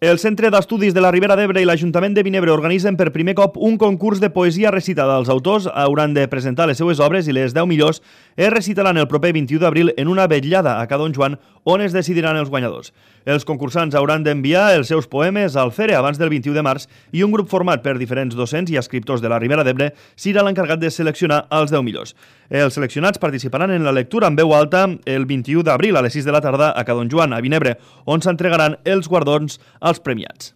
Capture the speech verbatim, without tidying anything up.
El Centre d'Estudis de la Ribera d'Ebre i l'Ajuntament de Vinebre organitzen per primer cop un concurs de poesia recitada. Els autors hauran de presentar les seues obres i les deu millors es recitaran el proper vint-i-u d'abril en una vetllada a Ca Don Joan on es decidiran els guanyadors. Els concursants hauran d'enviar els seus poemes al C E R E abans del vint-i-u de març i un grup format per diferents docents i escriptors de la Ribera d'Ebre serà l'encarregat de seleccionar els deu millors. Els seleccionats participaran en la lectura en veu alta el vint-i-u d'abril a les sis de la tarda a Ca Don Joan, a Vinebre, on s'entregaran els guardons als premiats.